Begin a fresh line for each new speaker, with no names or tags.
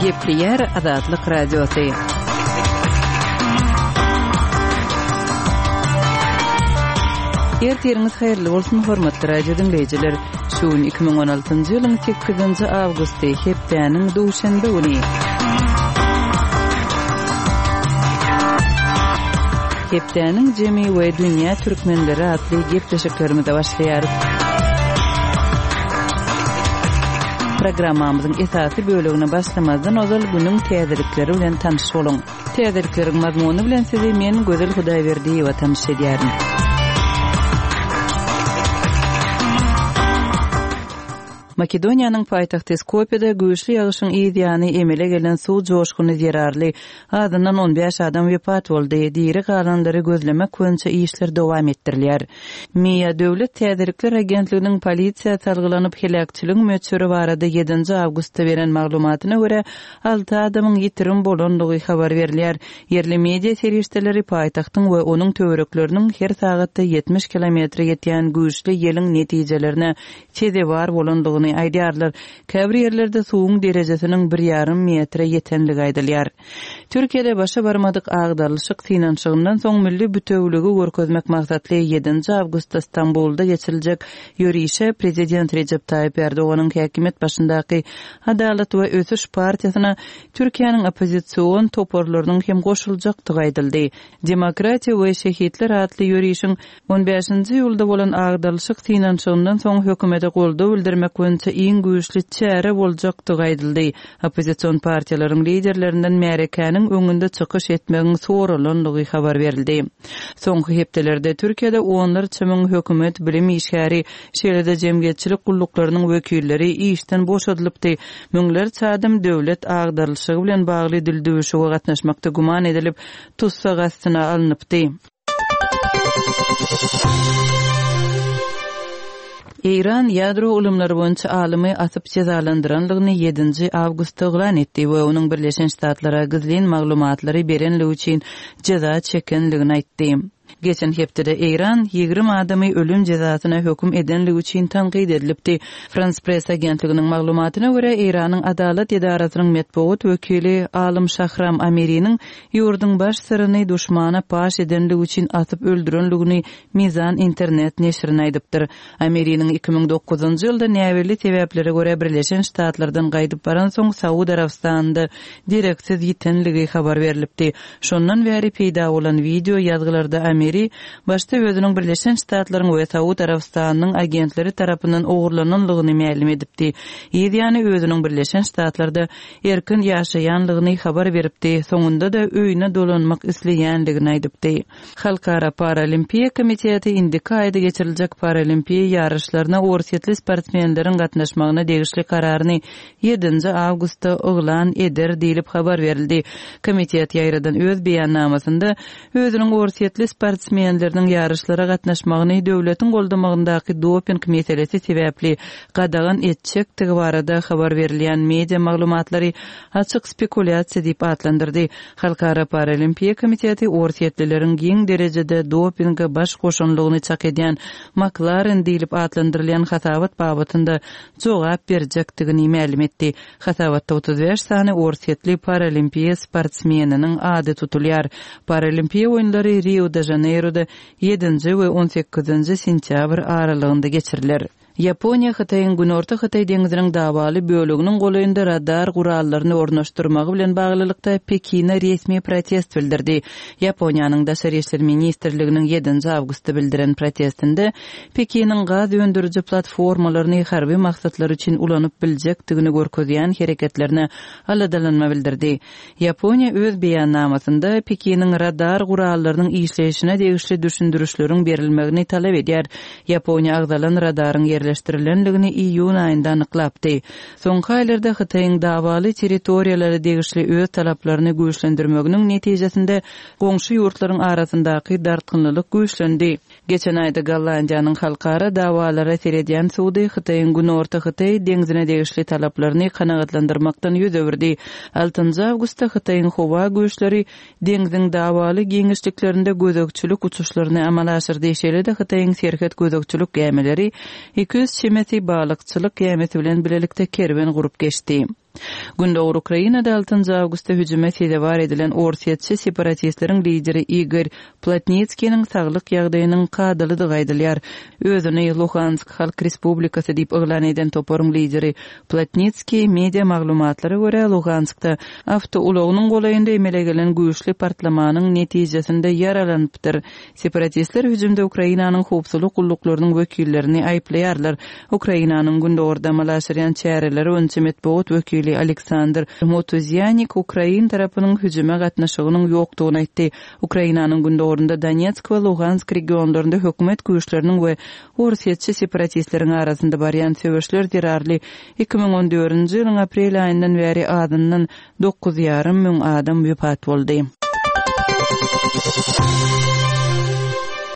Gepleýär Azatlyk Radiosy. Ertiriňiz haýyrly bolsun, hormatly radio diňleýjiler! Şu gün 2016-njy ýylyň sekizinji awgusty, hepdäniň duşenbe güni. Hepdäniň jemi we dünýä türkmenleri atly gepleşiklerimize başlaýarys. Programmamyzyň esasy bölegine başlamazdan ozal günüň täzelikleri bilen tanyş boluň. Täzelikleriň mazmuny bilen sizi men Gözel Hudaýberdiýewa tanyş edýärin. Makedoniýanyň paýtagty Skopýada güýçli ýagyşyň yz ýany emele gelen suw joşguny zerarly azyndan 15 adam wepat boldy, diri galanlary gözlemek boýunça işler dowam etdirilýär. MIA döwlet täzelikler agentliginiň polisiýa salgylanyp heläkçiligiň möçberi barada ýedinji awgustda beren maglumatyna görä, Alty adamyň ýitirim bolandygy habar berilýär. Ýerli media serişdeleri paýtagtyň we onuň töwerekleriniň her sagatda 70 kilometre ýetýän güýçli ýeliň netijelerine sezewar bolandygyny aýdýarlar. Käbir ýerlerde suwuň derejesiniň bir ýarym metre ýetenligi aýdylýar. Türkiýede başa barmadyk agdarylyşyk synanyşygyndan soň milli bütewüligi görkezmek maksatly ýedinji awgustda Stambulda geçiriljek ýörişe prezident Rejep Taýyp Erdoganyň häkimiýet başyndaky Adalat we ösüş partiýasyna Türkiýäniň oppozision toparlarynyň hem goşuljakdygy aýdyldy. Demokratiýa we şehitler atly ýörişiň on bäşinji iýulda bolan agdarylyşyk synanyşygyndan soň hökümete goldaw bildirmek boýunça iň güýçli çäre boljakdygy aýdyldy. Oppozision partiýalaryň liderlerinden märekäniň öňünde çykyş etmegiň soralandygy habar berildi. Soňky hepdelerde Türkiýede onlarça müň hökümet bilim işgäri, şeýle-de jemgyýetçilik gulluklarynyň wekilleri işden boşadylypdy. Müňlerçe adam döwlet agdarylyşygy bilen bagly dildüwüşige gatnaşmakda güman edilip, tussag astyna alnypdy. Eýran ýadro ylymlary boýunça alymy asyp jezalandyranlygyny ýedinji awgustda yglan etdi we onuň Birleşen Ştatlara gizlin maglumatlary berenligi üçin jeza çekenligini aýtdy. Geçen hepdede Eýran 20 adamy ölüm jezasyna höküm edenligi üçin tankyt edilipdi. Frans Press agentliginiň maglumatyna görä, Eýranyň adalat edarasynyň metbugat wekili alym Şahram Amiriniň ýurduň baş syryny duşmana paş edenligi üçin asyp öldürenligini Mizan internet neşirine aýdypdyr. Amiriniň 2009-njy ýylda näbelli sebäplere görä Birleşen Ştatlardan gaýdyp baransoň Saud Arabystanynda dereksiz ýitenligi habar berlipdi. Şondan bäri peýda bolan wideo ýazgylarda Amiri başda özüniň Birleşen Ştatlaryň we Saud Arabystanynyň agentleri tarapyndan ogurlananlygyny mälim edipdi. Yz ýany özüniň Birleşen Ştatlarda erkin ýaşaýanlygyny habar beripdi, soňunda-da öýüne dolanmak isleýänligini aýdypdy. Halkara Paralimpiýa komiteti indiki aýda geçiriljek Paralimpiýa ýaryşlaryna orsýetli sportsmenleriň gatnaşmagyna degişli kararyny ýedinji awgustda yglan eder diýlip habar berildi. Komitet ýaýradan öz beýannamasynda özüniň orsýetli sportsmenleriniň ýaryşlara gatnaşmagyny döwletiň goldamagyndaky doping meselesi sebäpli gadagan etjekdigi barada habar berilýän media maglumatlary açyk spekulýasiýa diýip atlandyrdy. Halkara Paralimpiýa komiteti orsýetlileriň giň derejede dopinge baş goşanlygyny çak edýän MakLaren diýlip atlandyrylýan hasabat babatynda jogap berjekdigini mälim etdi. Hasabatda 35 sany orsýetli paralimpiýa sportsmeniniň ady tutulýar. Paralimpiýa oýunlary Rio-de-Žaneýroda ýedinji we on sekizinji sentýabr aralygynda geçiriler. Ýaponiýa Hytaýyň Günorta Hytaý deňziniň dawaly böleginiň golaýynda radar gurallaryny ornaşdyrmagy bilen baglylykda Pekine resmi protest bildirdi. Ýaponiýanyň Daşary işler ministrliginiň ýedinji awgustda bildiren protestinde Pekiniň gaz öndüriji platformalaryny harby maksatlar üçin ulanyp biljekdigini görkezýän hereketlerine aladalanma bildirdi. Ýaponiýa öz beýannamasynda Pekiniň radar gurallarynyň işleýşine degişli düşündirişleriň berilmegini talap edýär. Ýaponiýa agzalan radaryň ýerleşdirilendigini iýun aýynda anyklapdy. Soňky aýlarda Hytaýyň dawaly territoriýalara degişli öz talaplaryny güýçlendirmeginiň netijesinde goňşy ýurtlaryň arasyndaky dartgynlylyk güýçlendi. Geçen aýda Gollandiýanyň halkara dawalara seredýän sudy Hytaýyň Günorta Hytaý deňzine degişli talaplaryny kanagatlandyrmakdan ýüz öwürdi. Altynjy awgustda Hytaýyň howa güýçleri deňziň dawaly giňişliklerinde gözegçilik uçuşlaryny amala aşyrdy, şeýle-de Hytaýyň serhet gözegçilik gämileri 200 çemesi balykçylyk gämisi bilen bilelikde kerwen gurup geçdi. Gündogar Ukrainada altynjy awgustda hüjüme sezewar edilen orsýetçi separatistleriň lideri Igor Plotnitskiniň saglyk ýagdaýynyň kadalydygy aýdylýar. Özüni Luhansk Halk Respublikasy diýip yglan eden toparyň lideri Plotnitskiý, media maglumatlara görä, Luhanskda awtoulagynyň golaýynda emele gelen güýçli partlamanyň netijesinde ýaralanypdyr. Separatistler hüjümde Ukrainanyň howpsuzlyk gulluklarynyň wekillerini aýyplaýarlar. Ukrainanyň gündogarda amala aşyrýan çäreleri boýunça metbugat wekili Aleksandr Motuzýanik ukrain tarapynyň hüjüme gatnaşygynyň ýokdugyny aýtdy. Ukrainanyň gündogarynda Donetsk we Lugansk regionlarynda hökümet güýçleriniň we orsýetçi separatistleriň arasynda barýan söweşler zerarly 2014-nji ýylyň aprel aýyndan bäri azyndan 9,5 müň adam wepat boldy.